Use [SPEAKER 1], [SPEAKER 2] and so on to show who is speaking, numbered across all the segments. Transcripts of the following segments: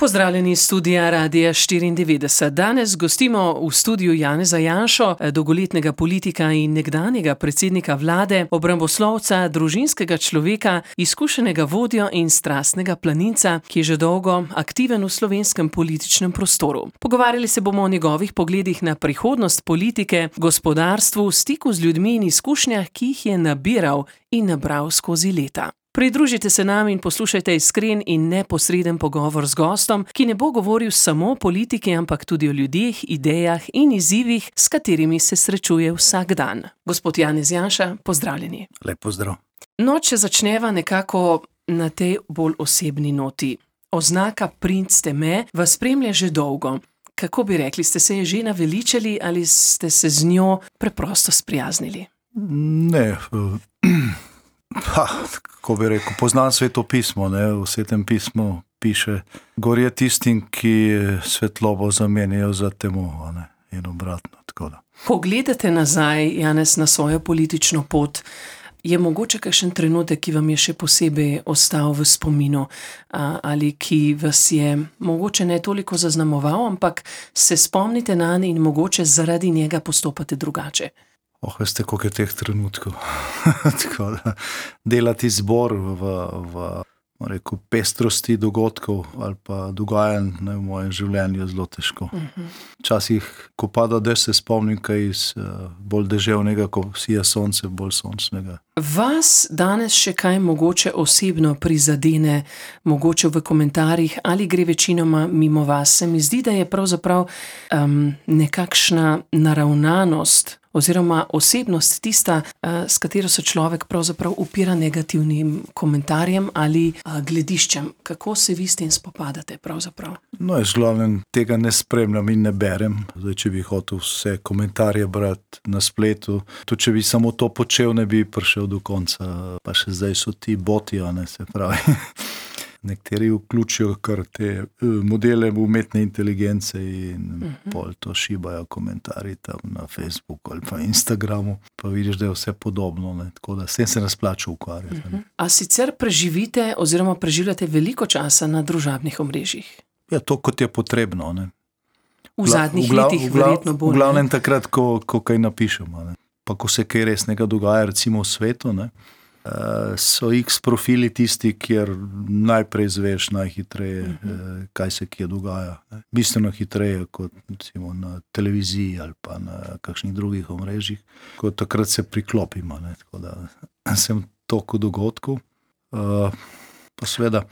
[SPEAKER 1] Pozdravljeni iz studia Radia 94. Danes gostimo v studiu Janeza Janšo, dolgoletnega politika in nekdanjega predsednika vlade, obramboslovca, družinskega človeka, izkušenega vodjo in strastnega planinca, ki je že dolgo aktiven v slovenskem političnem prostoru. Pogovarjali se bomo o njegovih pogledih na prihodnost politike, gospodarstvu, stiku z ljudmi in izkušnjah, ki jih je nabiral in nabral skozi leta. Pridružite se nam in poslušajte iskren in neposreden pogovor z gostom, ki ne bo govoril samo o politiki, ampak tudi o ljudeh, idejah in izzivih, s katerimi se srečuje vsak dan. Gospod Janez Janša, pozdravljeni.
[SPEAKER 2] Lep pozdrav.
[SPEAKER 1] No, če začneva nekako na tej bolj osebni noti. Oznaka princ ste me vas spremlja že dolgo. Kako bi rekli, ste se je že naveličali ali ste se z njo preprosto sprijaznili?
[SPEAKER 2] Ne, kako bi rekel, poznam Sveto pismo, ne? V Svetem pismu piše, gor je tistim, ki svetlobo zamenjajo za temo, ne? In obratno, tako da.
[SPEAKER 1] Ko gledate nazaj, Janez, na svojo politično pot, je mogoče kakšen trenutek, ki vam je še posebej ostal v spominu ali ki vas je mogoče ne toliko zaznamoval, ampak se spomnite nanj in mogoče zaradi njega postopate drugače?
[SPEAKER 2] Veste, koliko je teh trenutkov. Tako da, delati zbor v pestrosti dogodkov ali pa dogajanj v mojem življenju je zelo težko. Včasih, ko pada dež, se spomnim kaj iz bolj deževnega, ko sija sonce, bolj sončnega.
[SPEAKER 1] Vas danes še kaj mogoče osebno prizadene, mogoče v komentarjih, ali gre večinoma mimo vas? Se mi zdi, da je pravzaprav nekakšna naravnanost oziroma osebnost tista, s katero se človek pravzaprav upira negativnim komentarjem ali glediščem. Kako se vi s tem spopadate pravzaprav?
[SPEAKER 2] No, jaz glavnem tega ne spremljam in ne berem. Zdaj, če bi hotel vse komentarje brati na spletu, tudi če bi samo to počel, ne bi prišel do konca. Pa še zdaj so ti boti, se pravi. Nekateri vključijo kar te modele umetne inteligence in pol to šibajo komentarji tam na Facebooku ali pa Instagramu, pa vidiš, da je vse podobno, ne? Tako da s tem se ne splača ukvarjati.
[SPEAKER 1] A sicer preživite oziroma preživljate veliko časa na družabnih omrežjih?
[SPEAKER 2] Ja, to kot je potrebno, ne?
[SPEAKER 1] V zadnjih letih verjetno bolj.
[SPEAKER 2] V glavnem takrat, ko kaj napišemo, ne? Pa ko se kaj resnega dogaja, recimo v svetu, ne? So X profili tisti, kjer najprej zveš najhitreje, kaj se kje dogaja. Bistveno hitreje kot recimo na televiziji ali pa na kakšnih drugih omrežjih, ko takrat se priklopimo, ne? Tako da sem toliko dogodkov. Pa seveda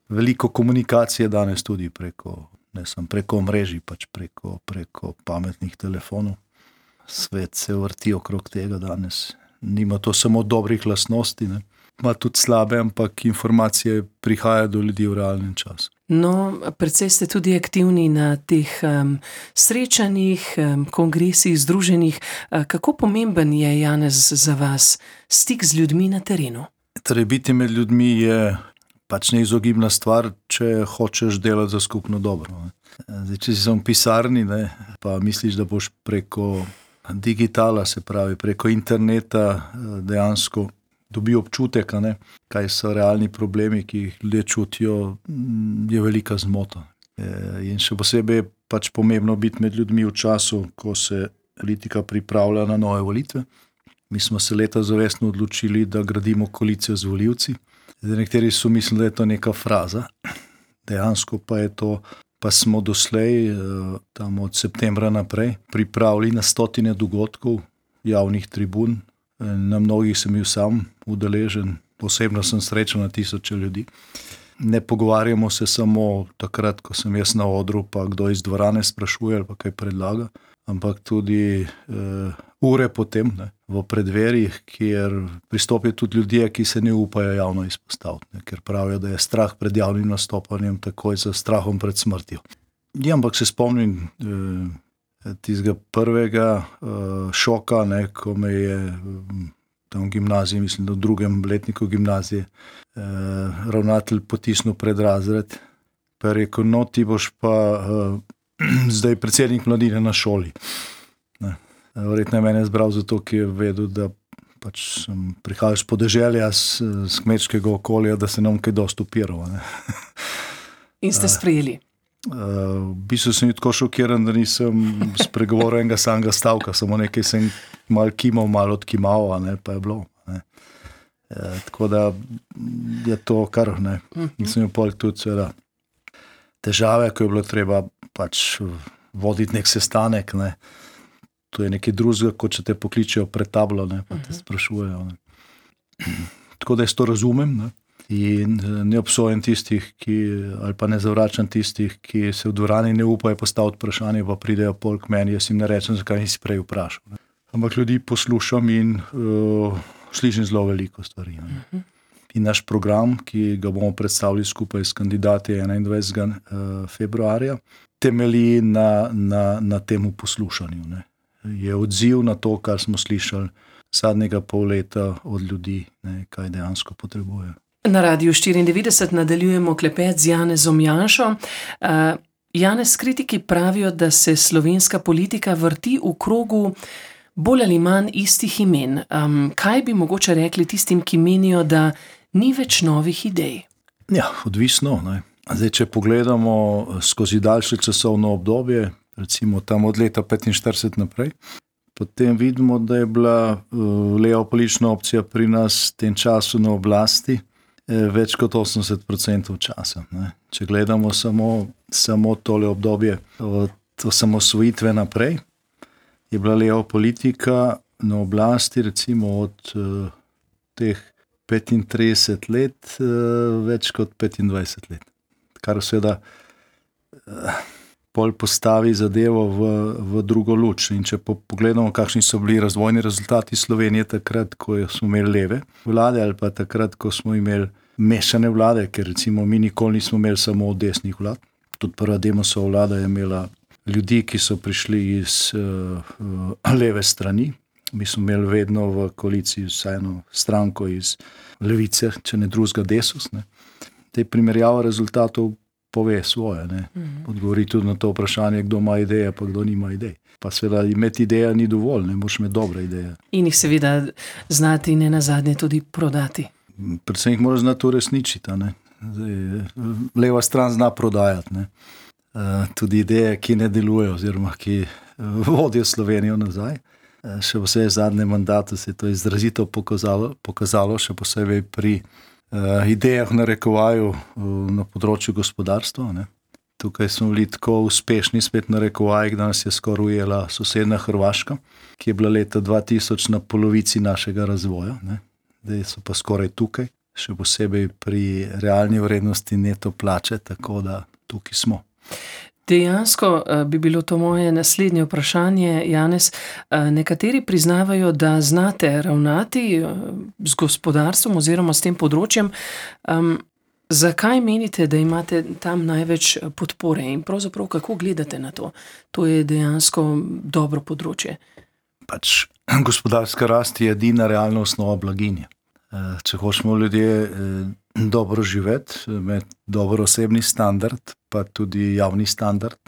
[SPEAKER 2] veliko komunikacije danes tudi preko omrežij, pač preko pametnih telefonov. Svet se vrti okrog tega danes. Nima to samo dobrih lastnosti, ne? Ima tudi slabe, ampak informacije prihajajo do ljudi v realnem času.
[SPEAKER 1] No, precej ste tudi aktivni na teh srečanjih, kongresih, združenjih. Kako pomemben je, Janez, za vas stik z ljudmi na terenu?
[SPEAKER 2] Torej, biti med ljudmi je pač neizogibna stvar, če hočeš delati za skupno dobro, ne? Zdaj, če si v pisarni, ne, pa misliš, da boš preko digitala, se pravi preko interneta, dejansko dobi občutek, ne, kaj so realni problemi, ki jih ljudje čutijo, je velika zmota. In še posebej je pač pomembno biti med ljudmi v času, ko se politika pripravlja na nove volitve. Mi smo se leta zavestno odločili, da gradimo koalicijo z volivci. Zdaj, nekateri so mislili, da je to neka fraza. Dejansko pa smo doslej, tam od septembra naprej, pripravili na 100 dogodkov, javnih tribun. Na mnogih sem bil sam udeležen, posebno sem srečal na 1000 ljudi. Ne pogovarjamo se samo takrat, ko sem jaz na odru, pa kdo iz dvorane sprašuje ali pa kaj predlaga, ampak tudi ure potem, ne, v predverjih, kjer pristopijo tudi ljudje, ki se ne upajo javno izpostaviti, ne, ker pravijo, da je strah pred javnim nastopanjem takoj za strahom pred smrtjo. Ja, ampak se spomnim tistega prvega šoka, ne, ko me je tam v gimnaziji, mislim, da v 2. letniku gimnazije, ravnatelj potisnil pred razred, pa je rekel, no, ti boš pa zdaj predsednik mladine na šoli. Ne. Verjetno je mene zbral zato, ki je vedel, da pač sem prihajal z podeželja, z kmečkega okolja, da se nam kaj dosti upiral, ne.
[SPEAKER 1] In ste sprejeli?
[SPEAKER 2] V bistvu sem tako šokiran, da nisem spregovoril enega samega stavka, samo nekaj sem malo kimal, malo odkimal, pa je bilo. Tako da je to kar, nisem imel tudi seveda težave, ko je bilo treba pač voditi nek sestanek, to je nekaj drugega, kot če te pokličejo pred tablo, pa te sprašujejo. Tako da jaz to razumem, in ne obsojam tistih, ali pa ne zavračam tistih, ki se v dvorani ne upajo postaviti vprašanje, pa pridejo pol k meni, jaz jim ne rečem, zakaj nisi prej vprašal. Ampak ljudi poslušam in slišim zelo veliko stvari. In naš program, ki ga bomo predstavili skupaj s kandidati 21. Februarja, temelji na temu poslušanju. Je odziv na to, kar smo slišali zadnjega pol leta od ljudi, kaj dejansko potrebujejo.
[SPEAKER 1] Na Radiu 94 nadaljujemo klepet z Janezom Janšo. Janez, kritiki pravijo, da se slovenska politika vrti v krogu bolj ali manj istih imen. Kaj bi mogoče rekli tistim, ki menijo, da ni več novih idej?
[SPEAKER 2] Ja, odvisno. Zdaj, če pogledamo skozi daljše časovno obdobje, recimo tam od leta 45 naprej, potem vidimo, da je bila leva politična opcija pri nas v tem času na oblasti več kot 80% časa. Če gledamo samo tole obdobje od osamosvojitve naprej, je bila leva politika na oblasti recimo od teh 35 let več kot 25 let. Kar seveda pol postavi zadevo v drugo luč. In če pogledamo, kakšni so bili razvojni rezultati Slovenije takrat, ko smo imeli leve vlade, ali pa takrat, ko smo imeli mešane vlade, ker recimo mi nikoli nismo imeli samo desnih vlad. Tudi prva Demosova vlada je imela ljudi, ki so prišli iz leve strani. Mi smo imeli vedno v koaliciji vsaj eno stranko iz levice, če ne drugega Desus. Te primerjava rezultatov pove svoje. Odgovori tudi na to vprašanje, kdo ima ideje, pa kdo nima idej. Pa seveda imeti ideja ni dovolj, ne moraš imeti dobre ideje.
[SPEAKER 1] In jih seveda znati ne nazadnje tudi prodati.
[SPEAKER 2] Predvsem jih moraš znati uresničiti. Leva stran zna prodajati. Tudi ideje, ki ne delujejo oziroma ki vodijo Slovenijo nazaj. Še posebej v zadnjem mandatu se je to izrazito pokazalo, še posebej pri idejah v narekovaju na področju gospodarstva. Tukaj smo bili tako uspešni spet na narekovajih, da nas je skoraj ujela sosednja Hrvaška, ki je bila leta 2000 na polovici našega razvoja. Zdaj so pa skoraj tukaj, še posebej pri realni vrednosti neto plače, tako da tukaj smo.
[SPEAKER 1] Dejansko bi bilo to moje naslednje vprašanje, Janez. Nekateri priznavajo, da znate ravnati z gospodarstvom oziroma s tem področjem. Zakaj menite, da imate tam največ podpore in pravzaprav kako gledate na to? To je dejansko dobro področje.
[SPEAKER 2] Gospodarska rast je edina realna osnova blaginje. Če hočemo ljudje dobro živeti, imeti dober osebni standard, pa tudi javni standard,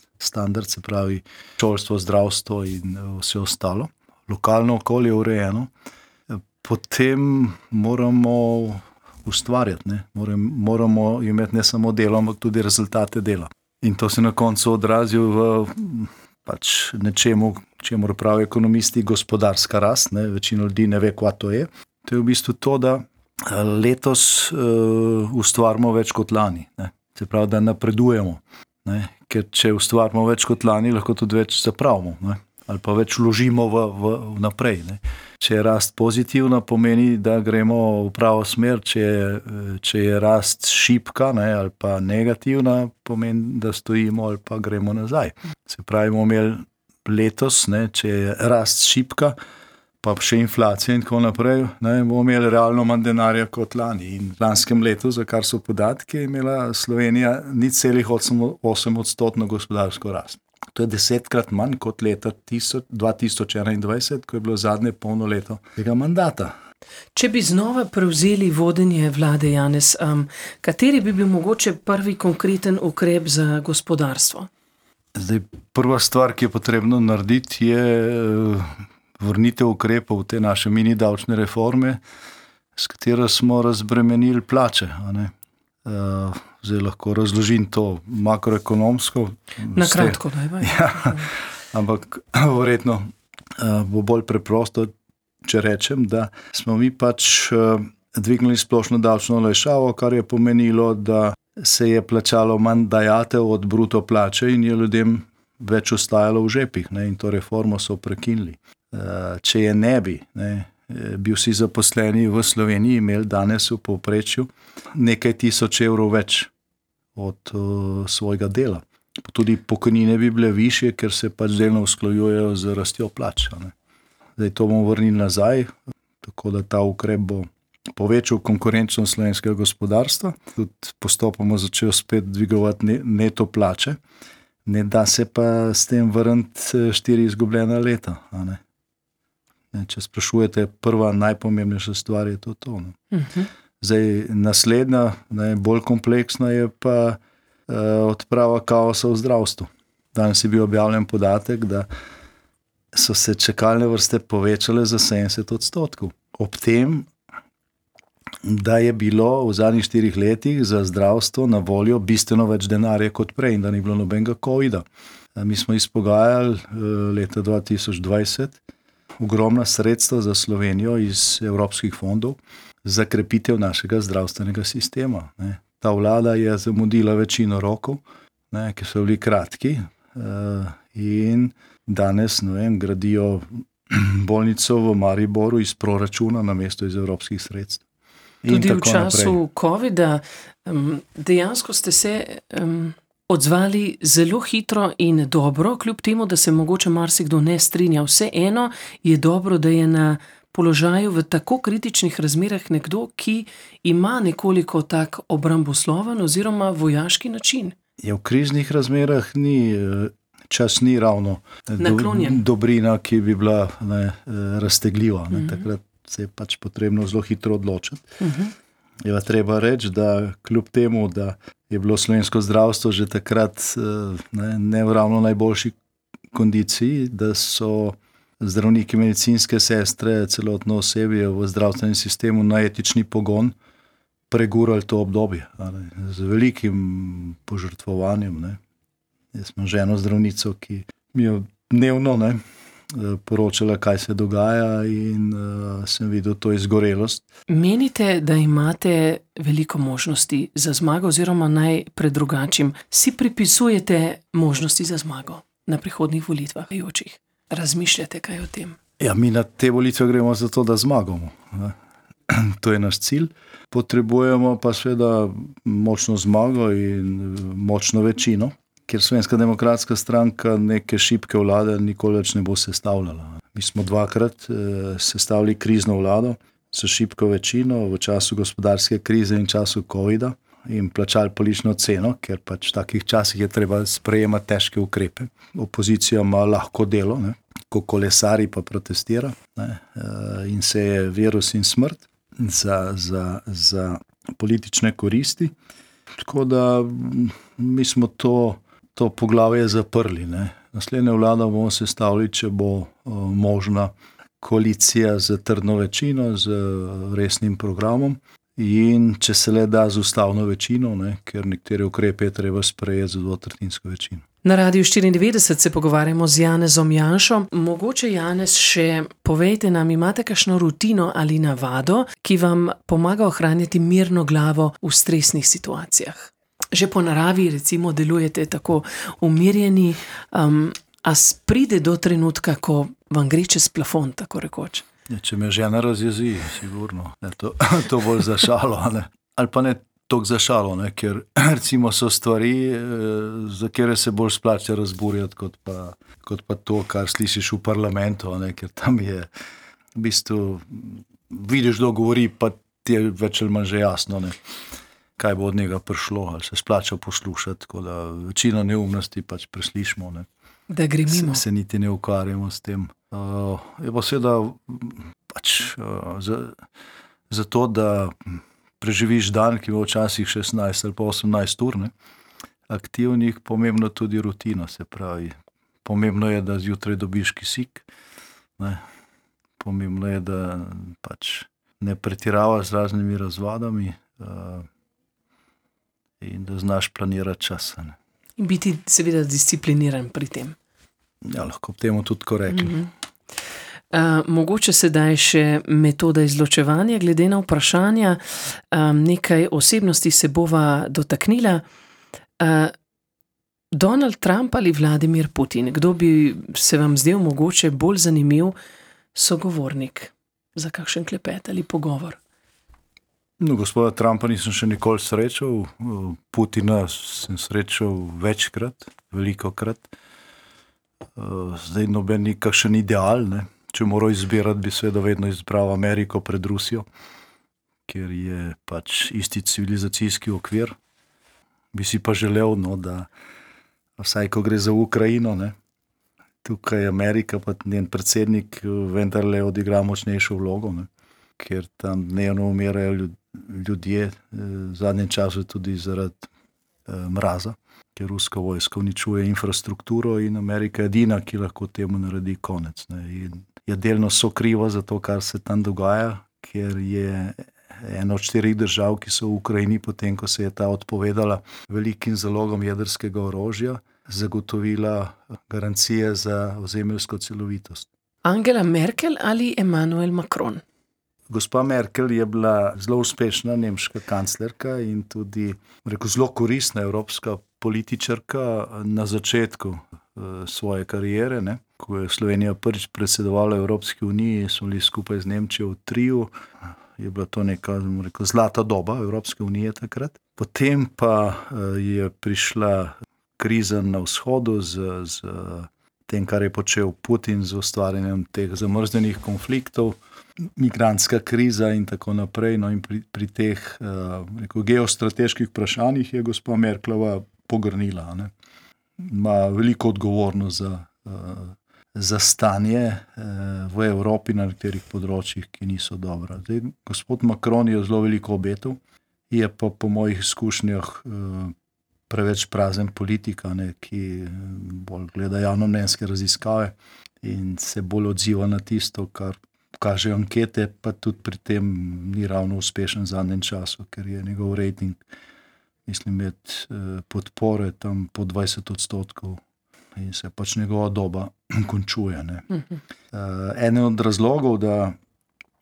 [SPEAKER 2] se pravi šolstvo, zdravstvo in vse ostalo, lokalno okolje urejeno, potem moramo ustvarjati, moramo imeti ne samo delo, ampak tudi rezultate dela. In to se na koncu odrazi v nečemu, čemur pravijo ekonomisti, gospodarska rast. Večina ljudi ne ve, kaj to je. To je v bistvu to, da letos ustvarimo več kot lani. Se pravi, da napredujemo. Ker če ustvarimo več kot lani, lahko tudi več zapravimo. Ali pa več vložimo v naprej. Če je rast pozitivna, pomeni, da gremo v pravo smer. Če je rast šibka, ali pa negativna, pomeni, da stojimo ali pa gremo nazaj. Se pravi, bomo imeli letos, če je rast šibka, pa še inflacija in tako naprej, bomo imeli realno manj denarja kot lani. In v lanskem letu, za kar so podatki, je imela Slovenija 0,8% gospodarsko rast. To je 10-krat manj kot leta 2021, ko je bilo zadnje polno leto tega mandata.
[SPEAKER 1] Če bi znova prevzeli vodenje vlade, Janez, kateri bi bil mogoče prvi konkreten ukrep za gospodarstvo?
[SPEAKER 2] Zdaj, prva stvar, ki je potrebno narediti, je vrnitev ukrepov te naše mini davčne reforme, s katero smo razbremenili plače. zdaj lahko razložim to makroekonomsko.
[SPEAKER 1] Na kratko, najbolj.
[SPEAKER 2] Ja, ampak verjetno bo bolj preprosto, če rečem, da smo mi pač dvignili splošno davčno olajšavo, kar je pomenilo, da se je plačalo manj dajatev od bruto plače in je ljudem več ostajalo v žepih, ne, in to reformo so prekinili. Če je ne bi, bi vsi zaposleni v Sloveniji imeli danes v povprečju nekaj tisoč evrov več od svojega dela. Tudi pokojnine bi bile višje, ker se pač delno usklajujejo z rastjo plač. Zdaj to bomo vrnili nazaj, tako da ta ukrep bo povečal konkurenčnost slovenskega gospodarstva, tudi postopoma začel spet dvigovati neto plače, ne da se pa s tem vrniti 4 izgubljena leta. Če sprašujete, prva najpomembnejša stvar je to. Zdaj, naslednja, bolj kompleksna je pa odprava kaosa v zdravstvu. Danes je bil objavljen podatek, da so se čakalne vrste povečale za 70%. Ob tem, da je bilo v zadnjih 4 letih za zdravstvo na voljo bistveno več denarja kot prej in da ni bilo nobenega covida. Mi smo izpogajali leta 2020 ogromna sredstva za Slovenijo iz evropskih fondov za krepitev našega zdravstvenega sistema. Ta vlada je zamudila večino rokov, ki so bili kratki, in danes, gradijo bolnico v Mariboru iz proračuna namesto iz evropskih sredstev.
[SPEAKER 1] Tudi v času covida dejansko ste se odzvali zelo hitro in dobro, kljub temu, da se mogoče marsikdo ne strinja. Vseeno je dobro, da je na položaju v tako kritičnih razmerah nekdo, ki ima nekoliko tak obrambosloven oziroma vojaški način.
[SPEAKER 2] V kriznih razmerah čas ni ravno dobrina, ki bi bila raztegljiva. Takrat se je pač potrebno zelo hitro odločiti. Je treba reči, da kljub temu, da je bilo slovensko zdravstvo že takrat ne v ravno najboljši kondiciji, da so zdravniki, medicinske sestre, celotno osebje v zdravstvenem sistemu na etični pogon pregurali to obdobje. Z velikim požrtvovanjem. Jaz imam ženo zdravnico, ki mi je dnevno poročala, kaj se dogaja, in sem videl to izgorelost.
[SPEAKER 1] Menite, da imate veliko možnosti za zmago, oziroma naj predrugačim, si pripisujete možnosti za zmago na prihodnjih volitvah? Razmišljate kaj o tem?
[SPEAKER 2] Ja, mi na te volitve gremo zato, da zmagamo. To je naš cilj. Potrebujemo pa seveda močno zmago in močno večino, ker Slovenska demokratska stranka neke šibke vlade nikoli več ne bo sestavljala. Mi smo 2-krat sestavili krizno vlado s šibko večino v času gospodarske krize in času covida in plačali politično ceno, ker pač v takih časih je treba sprejemati težke ukrepe. Opozicija ima lahko delo, ko kolesari pa protestira, in se je virus in smrt za politične koristi. Tako da mi smo to poglavje zaprli. Naslednjo vlado bomo sestavili, če bo možna koalicija z trdno večino, z resnim programom, in če se le da z ustavno večino, ker nekatere ukrepe je treba sprejeti z 2/3 večino.
[SPEAKER 1] Na Radiu 94 se pogovarjamo z Janezom Janšo. Mogoče, Janez, še povejte nam, imate kakšno rutino ali navado, ki vam pomaga ohranjati mirno glavo v stresnih situacijah? Že po naravi, recimo, delujete tako umirjeni, a pride do trenutka, ko vam gre čez plafon, tako rekoč?
[SPEAKER 2] Če me žena razjezi, sigurno. To bolj za šalo. Ali pa ne toliko za šalo, ker recimo so stvari, za katere se bolj splača razburjati, kot pa to, kar slišiš v parlamentu, ker tam je v bistvu, vidiš, kdo govori, pa ti je več ali manj že jasno, kaj bo od njega prišlo, ali se splača poslušati, tako da večino neumnosti pač preslišimo.
[SPEAKER 1] Da gre mimo.
[SPEAKER 2] Se niti ne ukvarjamo s tem. Je pa seveda pač za to, da preživiš dan, ki bo včasih 16 ali pa 18 ur, aktivnih, pomembno tudi rutina, se pravi. Pomembno je, da zjutraj dobiš kisik, pomembno je, da pač ne pretiravaš z raznimi razvadami, in da znaš planirati čas.
[SPEAKER 1] In biti seveda discipliniran pri tem.
[SPEAKER 2] Ja, lahko bi temu tudi tako rekli.
[SPEAKER 1] Mogoče sedaj še metoda izločevanja, glede na vprašanja, nekaj osebnosti se bova dotaknila. Donald Trump ali Vladimir Putin, kdo bi se vam zdel mogoče bolj zanimiv sogovornik za kakšen klepet ali pogovor?
[SPEAKER 2] No, gospoda Trumpa nisem še nikoli srečal, Putina sem srečal večkrat, velikokrat. Zdaj noben ni kakšen ideal, ne? Če moral izbirati, bi seveda vedno izbral Ameriko pred Rusijo, ker je pač isti civilizacijski okvir. Bi si pa želel, no, da vsaj ko gre za Ukrajino, ne, tukaj Amerika pa njen predsednik vendarle odigra močnejšo vlogo, ne, ker tam dnevno umirajo ljudje, v zadnjem času tudi zaradi mraza, ker ruska vojska uničuje infrastrukturo in Amerika je edina, ki lahko temu naredi konec. Ne. In je delno sokriva za to, kar se tam dogaja, ker je ena od 4 držav, ki so v Ukrajini, potem ko se je ta odpovedala velikim zalogom jedrskega orožja, zagotovila garancije za ozemeljsko celovitost.
[SPEAKER 1] Angela Merkel ali Emmanuel Macron?
[SPEAKER 2] Gospa Merkel je bila zelo uspešna nemška kanclerka in tudi zelo koristna evropska političarka na začetku svoje kariere. Ne? Ko je Slovenija prvič predsedovala Evropski uniji, smo bili skupaj z Nemčijo v triju. Je bila to neka zlata doba Evropske unije takrat. Potem pa je prišla kriza na vzhodu z tem, kar je počel Putin, z ustvarjanjem teh zamrznjenih konfliktov, migrantska kriza in tako naprej. No in pri teh geostrateških vprašanjih je gospa Merklova pogrnila. Ne. Ima veliko odgovornost za stanje v Evropi na nekaterih področjih, ki niso dobra. Zdaj, gospod Macron je zelo veliko obetal, je pa po mojih izkušnjah preveč prazen politika, ne, ki bolj gleda javnomnenjske raziskave in se bolj odziva na tisto, kar kažejo ankete, pa tudi pri tem ni ravno uspešen v zadnjem času, ker je njegov rejting, mislim, med podpore tam po 20% in se pač njegova doba končuje. Ne. Eden od razlogov, da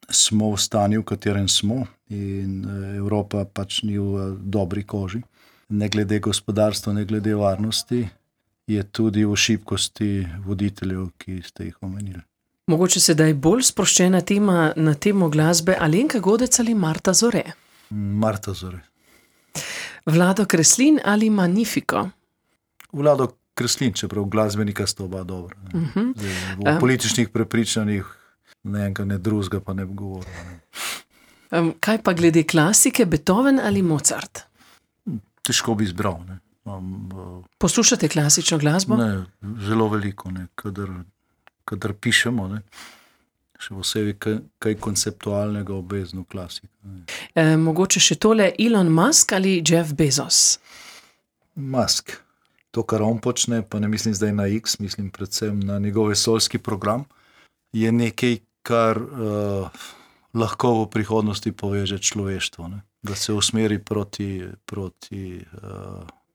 [SPEAKER 2] smo v stanju, v katerem smo, in Evropa pač ni v dobri koži, ne glede gospodarstva, ne glede varnosti, je tudi v šibkosti voditeljev, ki ste jih omenili.
[SPEAKER 1] Mogoče sedaj bolj sproščena tema na temo glasbe, Alenka Godec ali Marta Zore?
[SPEAKER 2] Marta Zore.
[SPEAKER 1] Vlado Kreslin ali Magnifico?
[SPEAKER 2] Vlado Kreslin, čeprav glasbenika sta oba dobra. V političnih prepričanjih ne enega, ne drugega pa ne bi govoril.
[SPEAKER 1] Kaj pa glede klasike, Beethoven ali Mozart?
[SPEAKER 2] Težko bi izbral. Ne.
[SPEAKER 1] Poslušate klasično glasbo?
[SPEAKER 2] Ne, zelo veliko, ne. Kadar pišemo, ne. Še posebej kaj konceptualnega obvezno klasiko.
[SPEAKER 1] Mogoče še tole, Elon Musk ali Jeff Bezos?
[SPEAKER 2] Musk. To, kar on počne, pa ne mislim zdaj na X, mislim predvsem na njegov vesoljski program, je nekaj, kar lahko v prihodnosti poveže človeštvo. Ne. Da se usmeri proti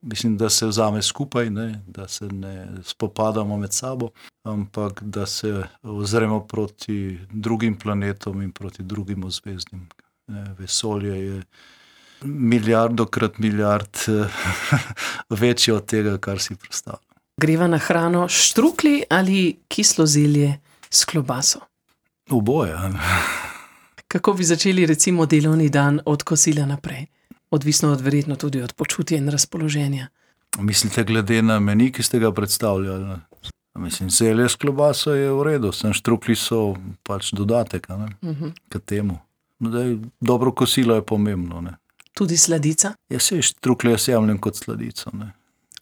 [SPEAKER 2] mislim, da se vzame skupaj, ne, da se ne spopadamo med sabo, ampak da se ozremo proti drugim planetom in proti drugim ozvezdnim. Vesolje je milijardokrat milijard večje od tega, kar si predstavljam.
[SPEAKER 1] Greva na hrano štruklji ali kislo zelje s klobaso?
[SPEAKER 2] Oboje.
[SPEAKER 1] Kako bi začeli recimo delovni dan od kosila naprej? Odvisno verjetno tudi od počutja in razpoloženja.
[SPEAKER 2] Mislite glede na meni, ki ste ga predstavljali? Mislim, zelje s klobaso je v redu, sem štruklji so pač dodatek, k temu. Dobro kosilo je pomembno. Ne.
[SPEAKER 1] Tudi sladica?
[SPEAKER 2] Ja, se štruklje jaz jemljem kot sladico. Ne.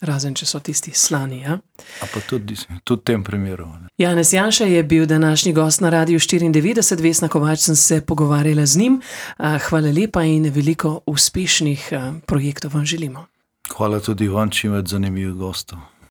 [SPEAKER 1] Razen, če so tisti slani, ja?
[SPEAKER 2] A pa tudi v tem primeru. Ne.
[SPEAKER 1] Janez Janša je bil današnji gost na Radiu 94, Vesna Kovač sem se pogovarjala z njim. Hvala lepa in veliko uspešnih projektov vam želimo.
[SPEAKER 2] Hvala tudi vam, čim več zanimivih gostov.